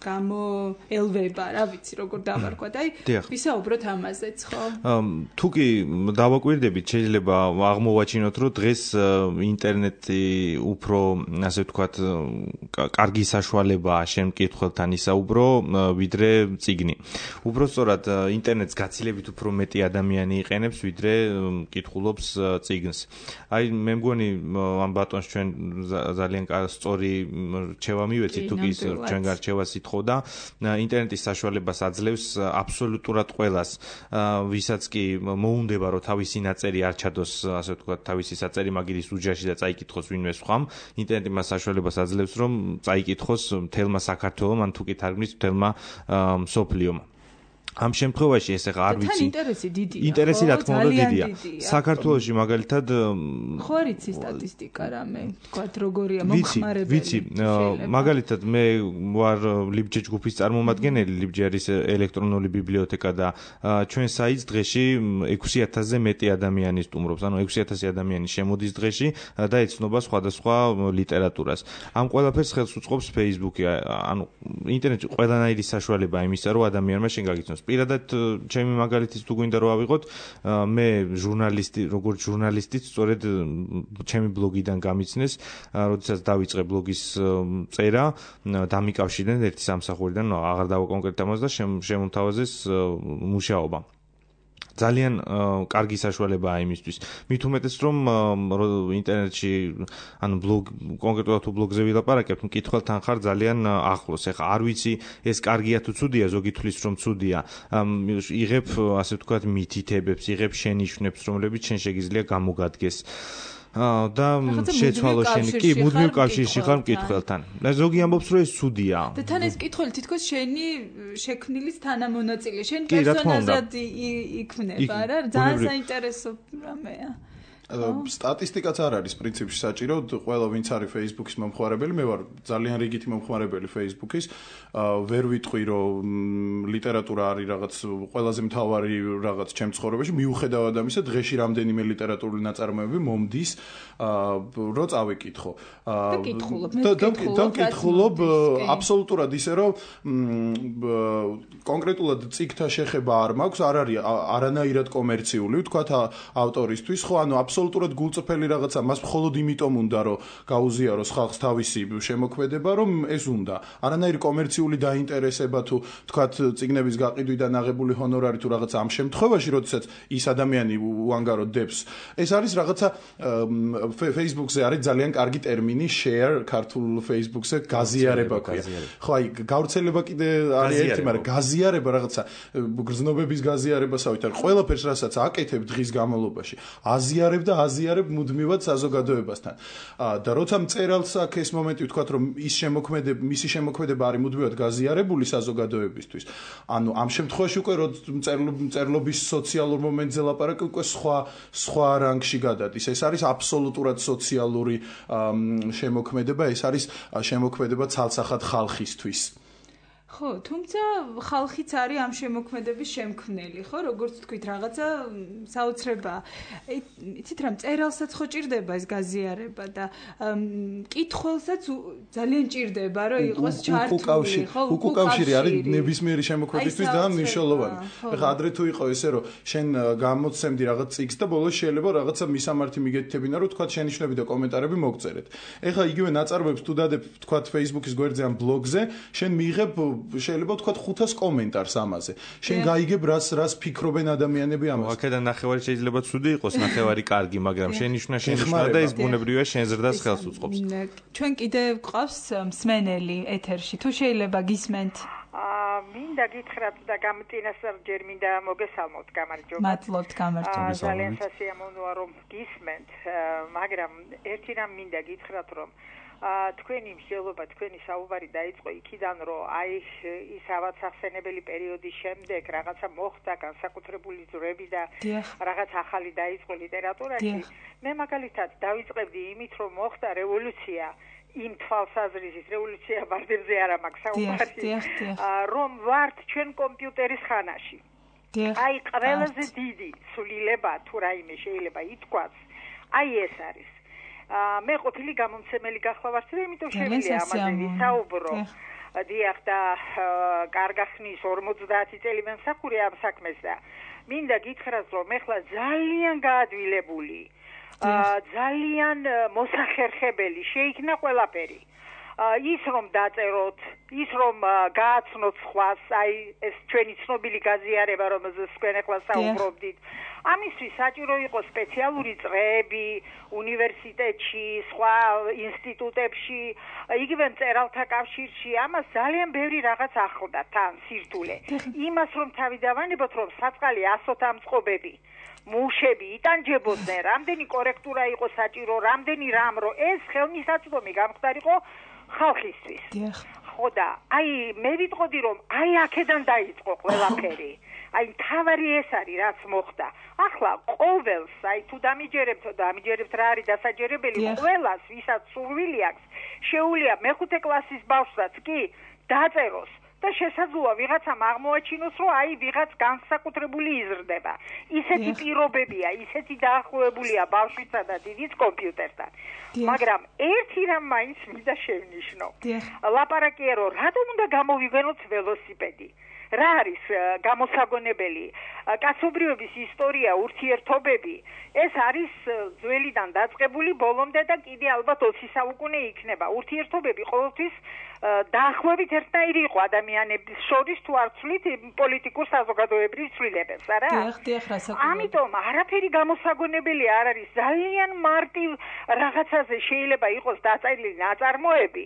გამოელვება, რა ვიცი, როგორ დავარქვათ. აი ვისაუბროთ ამაზეც, ხო? თუ კი დავაკვირდებით, შეიძლება აღმოვაჩინოთ, რომ დღეს ინტერნეტი უფრო, ასე ვთქვათ, კარგი საშუალებაა შენ მკითხველთან ისაუბრო, ვიდრე წიგნი. უბრალოდ ინტერნეტს გაცილებით უფრო მეტი ადამიანი იყენებს, ვიდრე მკითხულობს წიგნს. აი მე მგონი ამ ბატონს ჩვენ ძალიან სწორი რჩევა მივეცით, თუ კი ჩვენ გარჩევას ითხოვდა. ინტერნეტის საშუალებას აძლევს აბსოლუტურად ყველას, ვისაც კი მოუნდება, რომ თავისი ნაწერი არ ჩადოს, ასე ვთქვათ, თავისი საწერი მაგირის უჯრაში და წაიკითხოს ვინმე სხვამ. ინტერნეტი მას საშუალებას აძლევს, რომ წაიკითხოს მთელმა საქართველომ, ან თუ კი თარგმნის მთელმა მსოფლიომ. ამ შემთხვევაში ეს ახლა არ ვიცი. თან ინტერესი დიდია. ინტერესი რა თქმა უნდა დიდია. საქართველოში მაგალითად ხო არ იცი სტატისტიკა რამე, თქვათ როგორია მომხმარებელი. ვიცი, მაგალითად მე ვარ ლიბჯე ჯგუფის წარმომადგენელი, ლიბჯე არის ელექტრონული ბიბლიოთეკა და ჩვენ საიტს დღეში ექვსი ათასზე მეტი ადამიანი სტუმრობს, ანუ ექვსი ათასი ადამიანი შემოდის დღეში და ეცნობა სხვადასხვა ლიტერატურას. ამ ყველაფერს ხელს უწყობს Facebook-ი, ანუ ინტერნეტი ყველანაირი საშუალებაა იმისა, რომ ადამიანმა შენ გაგიცნოს პირადად ჩემი მაგალითიც თუ გვინდა რომ ავიღოთ, მე ჟურნალისტი, როგორც ჟურნალისტიც სწორედ ჩემი ბლოგიდან გამიცნეს, როდესაც დავიწყე ბლოგის წერა, დამიკავშირდნენ ერთი სამსახურიდან, აღარ დავაკონკრეტებ ამას და შემომთავაზეს მუშაობა. ძალიან კარგი საშუალებაა იმისთვის. მით უმეტეს რომ ინტერნეტში ანუ ბლოგ კონკრეტულად თუ ბლოგზე ვილაპარაკებთ, მკითხველთან ხარ ძალიან ახლოს. ეხლა არ ვიცი ეს კარგია თუ ცუდია, ზოგი თვლის რომ ცუდია. იღებ ასე ვთქვათ მითითებებს, იღებ შენიშვნებს, რომლებიც შენ შეგიძლია გამოგადგეს. და შეცვალო შენი კი მუდმივ კავშირში ხარ მკითხველთან. და ზოგი ამბობს რომ ეს ცუდია. და თან ეს მკითხველი თითქოს შენი შექმნილის თანამონაწილე, შენ პერსონაჟად იქმნება რა, ძალიან საინტერესო რამეა. სტატისტიკაც არ არის პრინციპში საჭირო, ყველა ვინც არის Facebook-ის მომხმარებელი, მე ვარ ძალიან რიგითი მომხმარებელი Facebook-ის, ვერ ვიტყვი რომ ლიტერატურა არის რაღაც ყველაზე მთავარი რაღაც ჩემ ცხოვრებაში, მიუხედავად ამისა, დღეში რამდენიმე ლიტერატურული ნაწარმოები მომდის, რო წავიკითხო. და ვკითხულობ აბსოლუტურად ისე რომ კონკრეტულად წიგნთა შეხება არ მაქვს, არ არის არანაირად კომერციული, ვთქვათ ავტორისთვის, ხო, ანუ აბსოლუტურად გულწრფელი რაღაცა, მას მხოლოდ იმიტომ უნდა რომ გაუზიაროს ხალხს თავისი შემოქმედება, რომ ეს უნდა. არანაირი კომერციული დაინტერესება თუ თქვათ წიგნების გაყიდვიდან აღებული ჰონორარი თუ რაღაც ამ შემთხვევაში, როდესაც ის ადამიანი უანგაროდ დებს, ეს არის რაღაცა Facebook-ზე არის ძალიან კარგი ტერმინი share, ქართულ Facebook-ზე გაზიარება ქვია. ხო, აი გავრცელება კიდე არის ერთი, მაგრამ გაზიარება რაღაცა გრძნობების გაზიარებასავით არის. ყველაფერს რასაც აკეთებ დღის განმავლობაში, აზიარებ და აზიარებ მუდმივად საზოგადოებასთან. და როცა მწერალს აქვს ეს მომენტი, ვთქვათ, რომ ის შემოქმედება, მისი შემოქმედება არის მუდმივად გაზიარებული საზოგადოებისთვის. ანუ ამ შემთხვევაში უკვე მწერლობის სოციალურ მომენტზე ლაპარაკი უკვე სხვა სხვა რანგში გადადის. ეს არის აბსოლუტურად სოციალური შემოქმედება, ეს არის შემოქმედება ცალსახად ხალხისთვის. ხო, თუმცა ხალხიც არის ამ შემოქმედების შემქმნელი, ხო, როგორც თქვით, რაღაცა საოცრებაა. იცით რა, მწერალსაც ხო ჭირდება ეს გაზიარება და მკითხველსაც ძალიან ჭირდება, რომ იყოს ჩართული, ხო, უკავშირი არის ნებისმიერი შემოქმედისთვის და მნიშვნელოვანი. ეხლა ადრე თუ იყო ესე, რომ შენ გამოცემდი რაღაც წიგნს და ბოლოს შეიძლება რაღაცა მისამართი მიგეთითებინა, რომ თქვა შენიშვნები და კომენტარები მოგწერეთ. ეხლა იგივე ნაწარმოებს თუ დადებ, თქვა Facebook-ის გვერდზე ან ბლოგზე, შენ მიიღებ შეიძლება თქვა ხუთას კომენტარს ამაზე. შენ გაიგებ რას რას ფიქრობენ ადამიანები ამაზე. აქედან ნახევარი შეიძლება ცუდი იყოს, ნახევარი კარგი, მაგრამ შენიშვნა შენიშვნა და ეს ბუნებრივია შენ ზრდას ხელს უწყობს. ჩვენ კიდე გვყავს მსმენელი ეთერში. თუ შეიძლება გისმენთ. აა მინდა გითხრათ და გამტინასწარ ჯერ მინდა მოგესალმოთ გამარჯობა. მადლობთ გამარჯობა. ძალიან სასიამოვნოა რომ გისმენთ, მაგრამ ერთი რამ მინდა გითხრათ რომ თქვენი მსჯელობა, თქვენი საუბარი დაიწყო იქიდან, რომ აი ის ავაცახსენებელი პერიოდის შემდეგ რაღაცა მოხდა განსაკუთრებული ძვრები და რაღაც ახალი დაიწყო ლიტერატურაში. მე მაგალითად დავიწყებდი იმით, რომ მოხდა რევოლუცია, იმ თვალსაზრისით რევოლუცია ბარდებზე არ მაქვს საუბარი, რომ ვართ ჩვენ კომპიუტერის ხანაში. აი ყველაზე დიდი სულილება თუ რაიმე შეიძლება ითქვას, აი ეს არის. მე ყოფილი გამომცემელი გახლავართ და იმიტომ შემიძლია ამაზე ვისაუბრო. დიახ და კარგა ხნის ორმოცდაათი წელი მემსახურე ამ საქმეს და მინდა გითხრათ რომ ეხლა ძალიან გაადვილებული, ძალიან მოსახერხებელი შეიქმნა ყველაფერი. ის რომ დაწეროთ, ის რომ გააცნოთ სხვას, აი ეს ჩვენი ცნობილი გაზიარება, რომელზეც თქვენ ახლა საუბრობდით. ამისთვის საჭირო იყო სპეციალური წრეები უნივერსიტეტში, სხვა ინსტიტუტებში, იგივე მწერალთა კავშირში, ამას ძალიან ბევრი რაღაც ახლდა თან სირთულე. იმას რომ თავი დავანებოთ, რომ საწყალი ასოთა მწყობები, მუშები იტანჯებოდნენ, რამდენი კორექტურა იყო საჭირო, რამდენი რამ, რომ ეს ხელმისაწვდომი გამხდარიყო ხალხისთვის. ხო და აი მე ვიტყოდი რომ აი აქედან დაიწყო ყველაფერი. აი თავარი ეს არის რაც მოხდა. ახლა ყოველს აი თუ დამიჯერებთ და დამიჯერებთ რა არის დასაჯერებელი, ყველას ვისაც სურვილი აქვს, შეუძლია მეხუთე კლასის ბავშვსაც კი დაწეროს და შესაძლოა ვიღაცამ აღმოაჩინოს, რომ აი ვიღაც განსაკუთრებული იზრდება. ისეთი პირობებია, ისეთი დაახლოებულია ბავშვისა და დიდის კომპიუტერთან. მაგრამ ერთი რამ მაინც მინდა შევნიშნო. ლაპარაკია, რომ რატომ უნდა გამოვიგვენოთ ველოსიპედი? რა არის გამოსაგონებელი? კაცობრიობის ისტორია, ურთიერთობები, ეს არის ძველიდან დაწყებული ბოლომდე და კიდე ალბათ ოცი საუკუნე იქნება. ურთიერთობები ყოველთვის დაახლოებით ერთნაირი იყო ადამიანების შორის, თუ არ ვცვლით პოლიტიკურ საზოგადოებრივ ცვლილებებს, არა? დიახ, დიახ, რასაკვირველია. ამიტომ არაფერი გამოსაგონებელი არ არის. ძალიან მარტივ რაღაცაზე შეიძლება იყოს დაწერილი ნაწარმოები.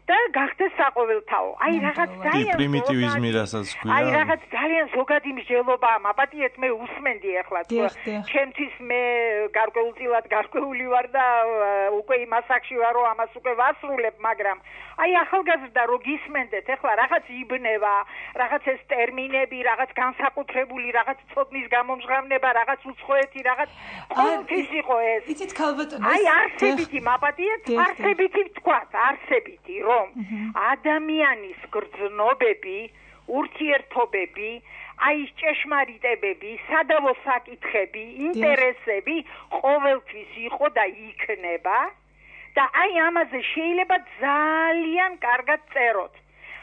და გახდეს საყოველთაო. აი რაღაც ძალიან პრიმიტივიზმი რასაც ქვია. აი რაღაც ძალიან ზოგადი მსჯელობა, მაპატიეთ მე უსმენდი ახლა თქო. ჩემთვის მე გარკვეულწილად გარკვეული ვარ და უკვე იმ ასაკში ვარ, რომ ამას უკვე ვასრულებ, მაგრამ აი ახალგაზრდა რო გისმენდეთ, ახლა რაღაც იბნება, რაღაც ეს ტერმინები, რაღაც განსაკუთრებული, რაღაც ცოდნის გამომჟღავნება, რაღაც უცხოეთი, რაღაც ყოველთვის იყო ეს. იცით ქალბატონო, აი არსებითი მაპატიეთ, არსებითი ვთქვათ, არსებითი რომ ადამიანის გრძნობები, ურთიერთობები, აი ჭეშმარიტებები, სადავო საკითხები, ინტერესები ყოველთვის იყო და იქნება და აი ამაზე შეიძლება ძალიან კარგად წეროთ.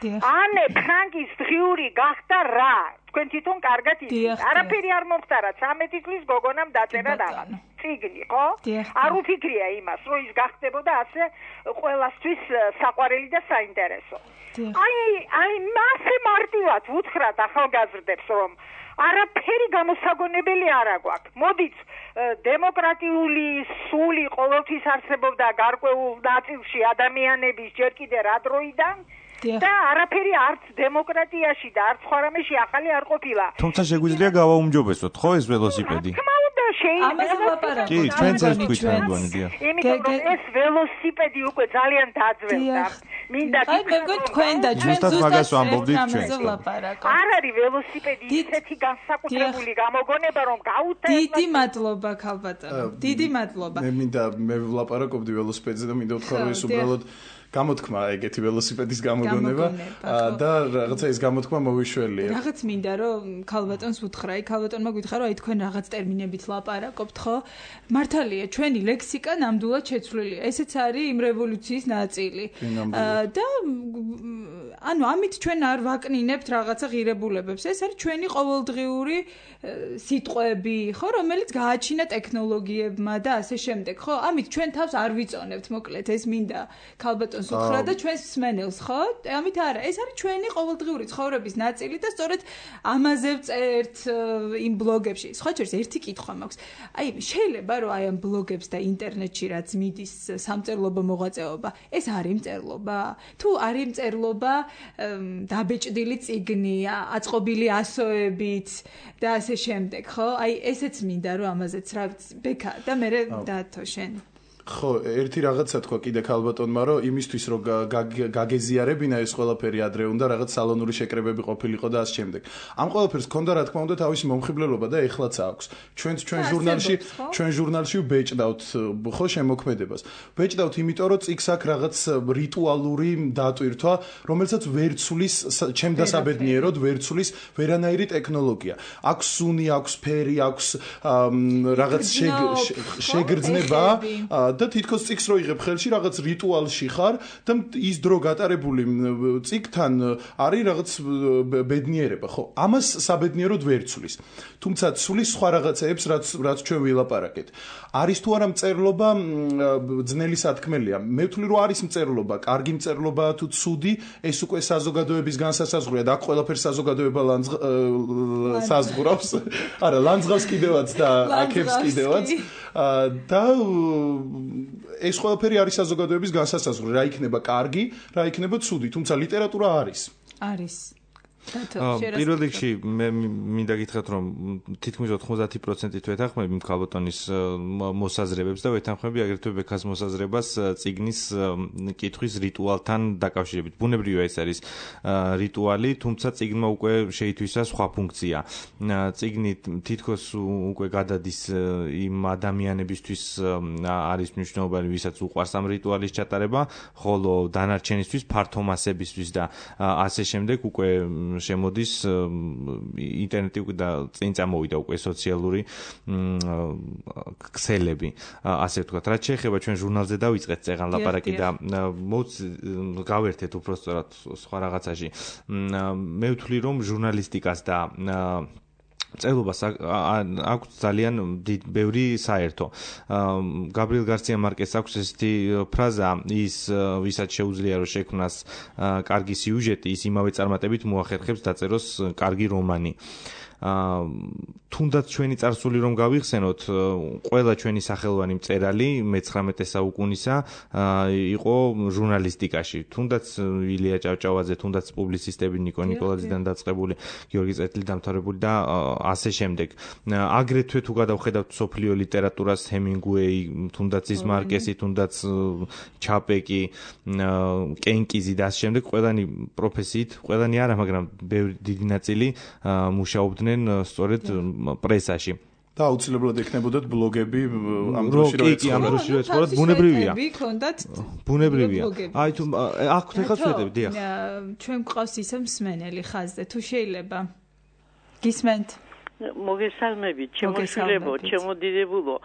ანე ფრანკის დღიური გახდა რა? თქვენ თვითონ კარგად იცით. არაფერი არ მომხდარა, ცამეტი წლის გოგონამ დაწერა რაღაც. წიგნი, ხო? არ უფიქრია იმას, რომ ის გახდებოდა ასე ყველასთვის საყვარელი და საინტერესო. აი, აი, მასე მარტივად ვუთხრათ ახალგაზრდებს, რომ არაფერი გამოსაგონებელი არ აგვაქვს. მოდით, დემოკრატიული სული ყოველთვის არსებობდა გარკვეულ ნაწილში ადამიანების ჯერ კიდე რა დროიდან და არაფერი არც დემოკრატიაში და არც სხვა რამეში ახალი არ ყოფილა. თუმცა შეგვიძლია გავაუმჯობესოთ, ხო ეს ველოსიპედი? ამაზე ლაპარაკობთ. კი, ჩვენც ეს თქვით მეგონებია. იმიტომ რომ ეს ველოსიპედი უკვე ძალიან დაძველდა. მინდა გითხრათ, თქვენ და ჩვენ ზუსტად ამაზე ვლაპარაკობთ. არ არის ველოსიპედი ისეთი განსაკუთრებული გამოგონება, რომ გაუთა. დიდი მადლობა ქალბატონო. დიდი მადლობა. მე მინდა მე ვლაპარაკობდი ველოსიპედზე და მინდა ვთქვა, რომ ეს უბრალოდ გამოთქმა ეგეთი ველოსიპედის გამოგონება და რაღაცა ის გამოთქმა მოვიშველია. რაღაც მინდა რომ ქალბატონს უთხრა, აი ქალბატონმა გითხრა რომ აი თქვენ რაღაც ტერმინებით ლაპარაკობთ, ხო? მართალია, ჩვენი ლექსიკა ნამდვილად შეცვლილია. ესეც არის იმ რევოლუციის ნაწილი. და ანუ ამით ჩვენ არ ვაკნინებთ რაღაცა ღირებულებებს. ეს არის ჩვენი ყოველდღიური სიტყვები, ხო, რომელიც გააჩინა ტექნოლოგიებმა და ასე შემდეგ, ხო? ამით ჩვენ თავს არ ვიწონებთ, მოკლედ, ეს მინდა ქალბატონს უთხრა და ჩვენს მსმენელს, ხო? ამით არა, ეს არის ჩვენი ყოველდღიური ცხოვრების ნაწილი და სწორედ ამაზე ვწერთ იმ ბლოგებში. სხვა შორის ერთი კითხვა მაქვს. აი, შეიძლება რომ აი ამ ბლოგებს და ინტერნეტში რაც მიდის სამწერლობო მოღვაწეობა, ეს არის მწერლობა? თუ არის მწერლობა დაბეჭდილი წიგნი, აწყობილი ასოებით და ასე შემდეგ, ხო? აი, ესეც მინდა რომ ამაზეც რა ბექა და მე დათო შენ. ხო, ერთი რაღაცა თქვა კიდე ქალბატონმა, რომ იმისთვის რომ გაგეზიარებინა ეს ყველაფერი ადრე უნდა რაღაც სალონური შეკრებები ყოფილიყო და ასე შემდეგ. ამ ყველაფერს ქონდა რა თქმა უნდა თავისი მომხიბლელობა და ეხლაც აქვს. ჩვენც ჩვენ ჟურნალში, ჩვენ ჟურნალში ვბეჭდავთ ხო შემოქმედებას. ვბეჭდავთ იმიტომ რომ წიგს აქვს რაღაც რიტუალური დატვირთვა, რომელსაც ვერ ცulis ჩემ დასაბედნიეროდ ვერ ცulis ვერანაირი ტექნოლოგია. აქვს სუნი, აქვს ფერი, აქვს რაღაც შეგრძნება და თითქოს წიგს რო იღებ ხელში რაღაც რიტუალში ხარ და ის დრო გატარებული წიგთან არის რაღაც ბედნიერება, ხო? ამას საბედნიეროდ ვერ ცulis. თუმცა ცulis სხვა რაღაცეებს, რაც რაც ჩვენ ვილაპარაკეთ. არის თუ არა მწერლობა ძნელი სათქმელია. მე ვთვლი რომ არის მწერლობა, კარგი მწერლობა თუ ცუდი, ეს უკვე საზოგადოების განსასაზღვრია და აქ ყველაფერს საზოგადოება საზღვრავს. არა, ლანძღავს კიდევაც და აქებს კიდევაც. და ეს ყველაფერი არის საზოგადოების განსასაზღვრი, რა იქნება კარგი, რა იქნება ცუდი, თუმცა ლიტერატურა არის. არის. პირველ რიგში მე მინდა გითხრათ რომ თითქმის ოთხმოცდაათი პროცენტით ვეთანხმები მქალბატონის მოსაზრებებს და ვეთანხმები აგრეთვე ბექას მოსაზრებას წიგნის კითხვის რიტუალთან დაკავშირებით. ბუნებრივია ეს არის რიტუალი, თუმცა წიგნმა უკვე შეითვისა სხვა ფუნქცია. წიგნი თითქოს უკვე გადადის იმ ადამიანებისთვის არის მნიშვნელოვანი, ვისაც უყვარს ამ რიტუალის ჩატარება, ხოლო დანარჩენისთვის, ფართო მასებისთვის და ასე შემდეგ უკვე შემოდის ინტერნეტი უკვე და წინ წამოვიდა უკვე სოციალური ქსელები, ასე ვთქვათ. რაც შეეხება ჩვენ ჟურნალზე დავიწყეთ წეღან ლაპარაკი და გავერთეთ უბრალოდ სხვა რაღაცაში. მე ვთვლი რომ ჟურნალისტიკას და წელობას აქვს ძალიან ბევრი საერთო. გაბრიელ გარსია მარკეს აქვს ესეთი ფრაზა, ის ვისაც შეუძლია რომ შექმნას კარგი სიუჟეტი, ის იმავე წარმატებით მოახერხებს დაწეროს კარგი რომანი. თუნდაც ჩვენი წარსული რომ გავიხსენოთ, ყველა ჩვენი სახელოვანი მწერალი მეცხრამეტე საუკუნისა იყო ჟურნალისტიკაში. თუნდაც ილია ჭავჭავაძე, თუნდაც პუბლიცისტები ნიკო ნიკოლაძიდან დაწყებული, გიორგი წერტილი დამთავრებული და ასე შემდეგ. აგრეთვე თუ გადავხედავთ სოფლიო ლიტერატურას, ჰემინგუეი, თუნდაც ის მარკესი, თუნდაც ჩაპეკი, კენკიზი და ასე შემდეგ, ყველანი პროფესიით, ყველანი არა, მაგრამ ბევრი დიდი ნაწილი მუშაობდნენ სწორედ პრესაში. და აუცილებლად ექნებოდათ ბლოგები ამ დროში რო ეცხოვრათ. ამ დროში რო ეცხოვრათ, ბუნებრივია. გქონდათ ბუნებრივია. აი თუ აქ ხეხა ვხედები, დიახ. ჩვენ გვყავს ისე მსმენელი ხაზზე, თუ შეიძლება. გისმენთ? მოგესალმებით, ჩემოშვილებო, ჩემოდიდებულო,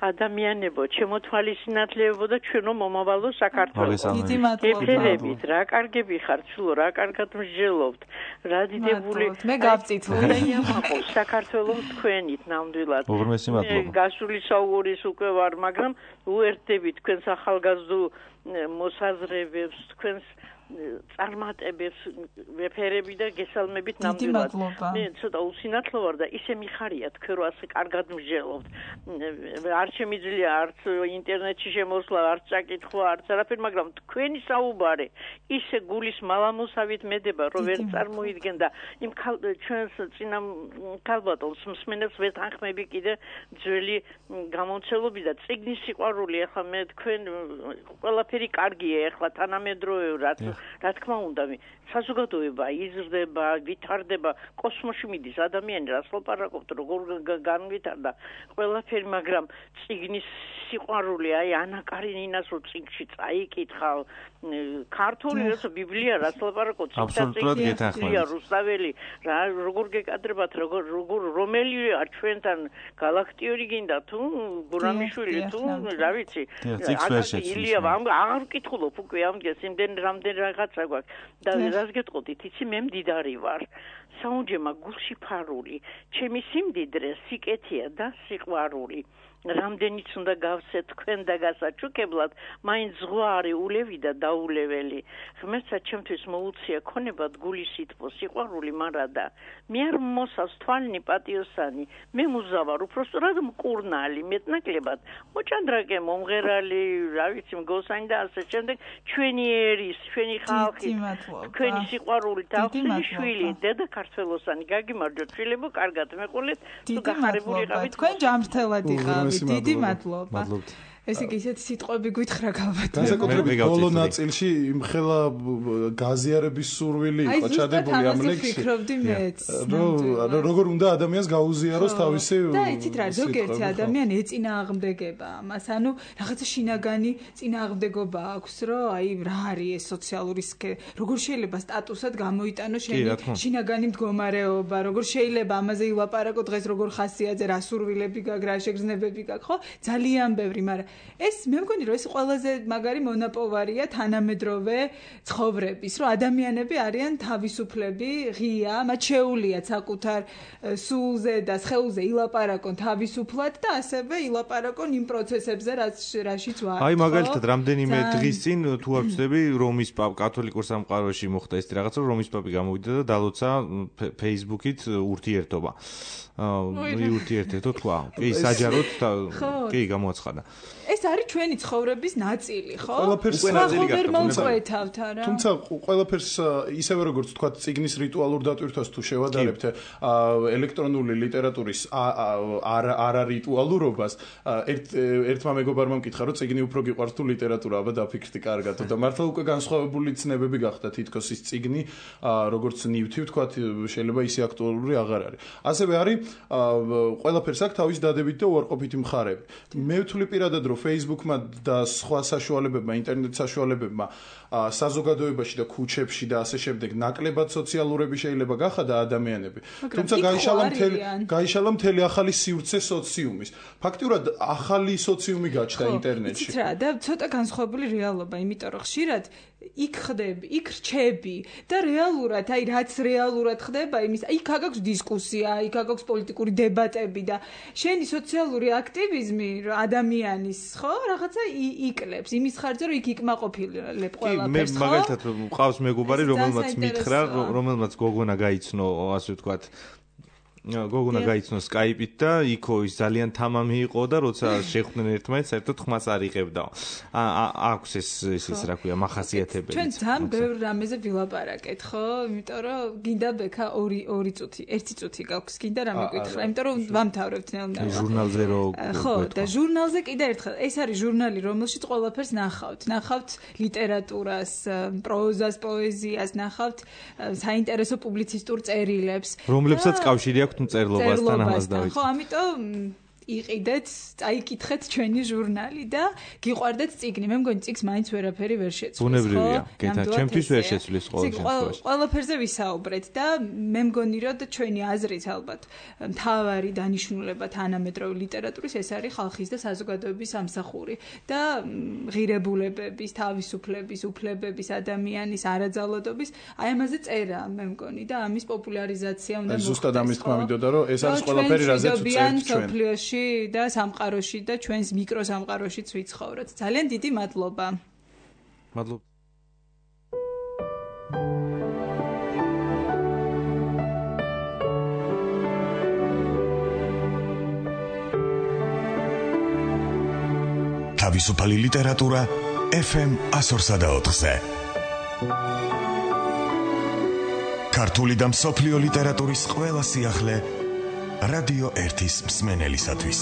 ადამიანებო, ჩემოთვალისინათლებო და ჩვენო მომავალო საქართველოს. დიდი მადლობა. ეთერებით, რა კარგები ხართ, სულო, რა კარგად მსჯელობთ. რა დიდებული. მე გავწითული. ამაყობს საქართველოს თქვენით ნამდვილად. უღრმესი მადლობა. გასული საურის უკვე ვარ, მაგრამ უერთდებით თქვენს ახალგაზრდულ მოსაზრებებს, თქვენს წარმატებებს ვეფერები და გესალმებით ნამდვილად. მე ცოტა უსინათლო ვარ და ისე მიხარია თქვენ რო ასე კარგად მსჯელობთ. არ შემიძლია არც ინტერნეტში შემოსვლა, არც წაკითხვა, არც არაფერი, მაგრამ თქვენი საუბარი ისე გულის მალამოსავით მედება, რომ ვერ წარმოიდგენ და იმ ჩვენს წინა ქალბატონს მსმენელს ვეთანხმები კიდე ძველი გამომცემლობი და წიგნის სიყვარული. ახლა მე თქვენ ყველაფერი კარგია, ახლა თანამედროვეურად რა თქმა უნდა, საზოგადოება იზრდება, ვითარდება, კოსმოსში მიდის ადამიანი, რას ლაპარაკობთ, როგორ განვითარდა ყველაფერი, მაგრამ წიგნის სიყვარული, აი ანა კარინინას რო წიგნში წაიკითხავ, ქართული როცა ბიბლია, რას ლაპარაკობთ, ციგნია, რუსთაველი, რა როგორ გეკადრებათ, როგორ როგორ რომელი არ ჩვენთან galaktiori გინდა თუ გურამიშვილი თუ რა ვიცი, ილია აღარ ვკითხულობ უკვე ამდგეს იმდენ რამდენ რაღაცა გვაქვს და რას გეტყოდით, იცი მე მდიდარი ვარ. საუნჯემა გულში ფარული, ჩემი სიმდიდრე სიკეთეა და სიყვარული. რამდენიც უნდა გავსეთ თქვენ და გასაჩუქებლად, მაინც ზღვარი ულევი და დაულეველი. ღმერთსა ჩემთვის მოუწია ქონებად გულის სითბო, სიყვარული მარადა. მე არ მოსავს თვალნი პატიოსანი, მე მუზავარ უпроსტად მკურნალი, მეტნაკლებად მოჭანდრაკე მომღერალი, რა ვიცი მგოსანი და ასე შემდეგ, ჩვენი ერის, ჩვენი ხალხის, თქვენი სიყვარული თავისი შვილი, დედა ქართველოსანი, გაგიმარჯოთ შვილებო, კარგად მეყოლეთ, თუ გახარებული იყავით. თქვენ ჯამრთელად იყავით. დიდი მადლობა. ესე იგი ისეთი სიტყვები გითხრა გავბატონო. განსაკუთრებით ბოლო ნაწილში იმხელა გაზიარების სურვილი იყო ჩადებული ამ ლექსში. ფიქრობდი მეც. რომ როგორ უნდა ადამიანს გაუზიაროს თავისი და იცით რა, ზოგიერთი ადამიანი ეწინააღმდეგება ამას, ანუ რაღაცა შინაგანი წინააღმდეგობა აქვს, რომ აი რა არის ეს სოციალური სქე, როგორ შეიძლება სტატუსად გამოიტანოს შენი შინაგანი მდგომარეობა, როგორ შეიძლება ამაზე ილაპარაკო დღეს როგორ ხასიათზე, რა სურვილები გაქვს, რა შეგრძნებები გაქვს, ხო? ძალიან ბევრი, მაგრამ ეს მე მგონი რომ ეს ყველაზე მაგარი მონაპოვარია თანამედროვე ცხოვრების, რომ ადამიანები არიან თავისუფლები, ღია, მათ შეუულიათ საკუთარ სულზე და სხეულზე ილაპარაკონ თავისუფლად და ასევე ილაპარაკონ იმ პროცესებზე, რაშიც ვარ. აი მაგალითად, რამდენიმე დღის წინ თუ არ ვცდები, რომის პაპ კათოლიკურ სამყაროში მოხდა ეს რაღაცა, რომ რომის პაპი გამოვიდა და დალოცა Facebook-ით ურთიერთობა. აა ურთიერთო თქვა. კი, საჯაროდ კი გამოაცხადა. ეს არის ჩვენი ცხოვრების ნაწილი, ხო? ყველაფერს ვერ მომწყვეთავთ არა. თუმცა ყველაფერს ისევე როგორც თქვა, წიგნის რიტუალურ დატვირთვას თუ შევადარებთ ელექტრონული ლიტერატურის არა რიტუალურობას, ერთ ერთმა მეგობარმა მკითხა, რომ წიგნი უფრო გიყვარს თუ ლიტერატურა, აბა დაფიქრდი კარგად და მართლა უკვე განსხვავებული ცნებები გახდა თითქოს ის წიგნი, როგორც ნივთი ვთქვა, შეიძლება ისე აქტუალური აღარ არის. ასევე არის ყველაფერს აქვს თავის დადებითი და უარყოფითი მხარეები. მე ვთვლი პირადად, რომ Facebook-მა და სხვა საშუალებებმა, ინტერნეტ საშუალებებმა საზოგადოებაში და ქუჩებში და ასე შემდეგ ნაკლებად სოციალურები შეიძლება გახადა ადამიანები. თუმცა გაიშალა მთელი გაიშალა მთელი ახალი სივრცე სოციუმის. ფაქტიურად ახალი სოციუმი გაჩნდა ინტერნეტში. იცით რა, და ცოტა განსხვავებული რეალობა, იმიტომ რომ ხშირად იქ ხდები, იქ რჩები და რეალურად, აი რაც რეალურად ხდება, იმის იქ აგაქვს დისკუსია, იქ აგაქვს პოლიტიკური დებატები და შენი სოციალური აქტივიზმი ადამიანის, ხო, რაღაცა იკლებს, იმის ხარჯზე რომ იქ იკმაყოფილებ ყველაფერს, ხო? მე მაგალითად მყავს მეგობარი, რომელმაც მითხრა, რომელმაც გოგონა გაიცნო, ასე ვთქვათ, გოგონა გაიცნო Skype-ით და იქო ის ძალიან თამამი იყო და როცა შეხვდნენ ერთმანეთს, საერთოდ ხმას არ იღებდა. აქვს ეს ეს ის რა ქვია, მახასიათებელი. ჩვენ ძალიან ბევრ რამეზე ვილაპარაკეთ, ხო? იმიტომ რომ გინდა ბექა ორი ორი წუთი, ერთი წუთი გაქვს, გინდა რამე გითხრა, იმიტომ რომ ვამთავრებთ ნელ-ნელა. ჟურნალზე რო ხო, და ჟურნალზე კიდე ერთხელ, ეს არის ჟურნალი, რომელშიც ყველაფერს ნახავთ. ნახავთ ლიტერატურას, პროზას, პოეზიას, ნახავთ საინტერესო პუბლიცისტურ წერილებს. რომლებსაც კავშირი აქვს თუ წერლობასთან ამას დავიწყოთ. ხო, ამიტომ იყიდეთ, წაიკითხეთ ჩვენი ჟურნალი და გიყვარდეთ წიგნი. მე მგონი წიგს მაინც ვერაფერი ვერ შეცვლის, ხო? ბუნებრივია, გეთა, ჩემთვის ვერ შეცვლის ყოველ შემთხვევაში. ყველაფერზე ვისაუბრეთ და მე მგონი რომ ჩვენი აზრით ალბათ მთავარი დანიშნულება თანამედროვე ლიტერატურის ეს არის ხალხის და საზოგადოების ამსახური და ღირებულებების, თავისუფლების, უფლებების, ადამიანის არაძალადობის, აი ამაზე წერა, მე მგონი და ამის პოპულარიზაცია უნდა მოხდეს. ზუსტად ამის თქმა მინდოდა, რომ ეს არის ყველაფერი, რაზეც ვწერთ ჩვენ. და სამყაროში და ჩვენს მიკროსამყაროშიც ვიცხოვროთ. ძალიან დიდი მადლობა. მადლობა. თავისუფალი ლიტერატურა ეფ ემ ასორსა და ოთხზე. ქართული და მსოფლიო ლიტერატურის ყველა სიახლე რადიო ერთის მსმენელისათვის.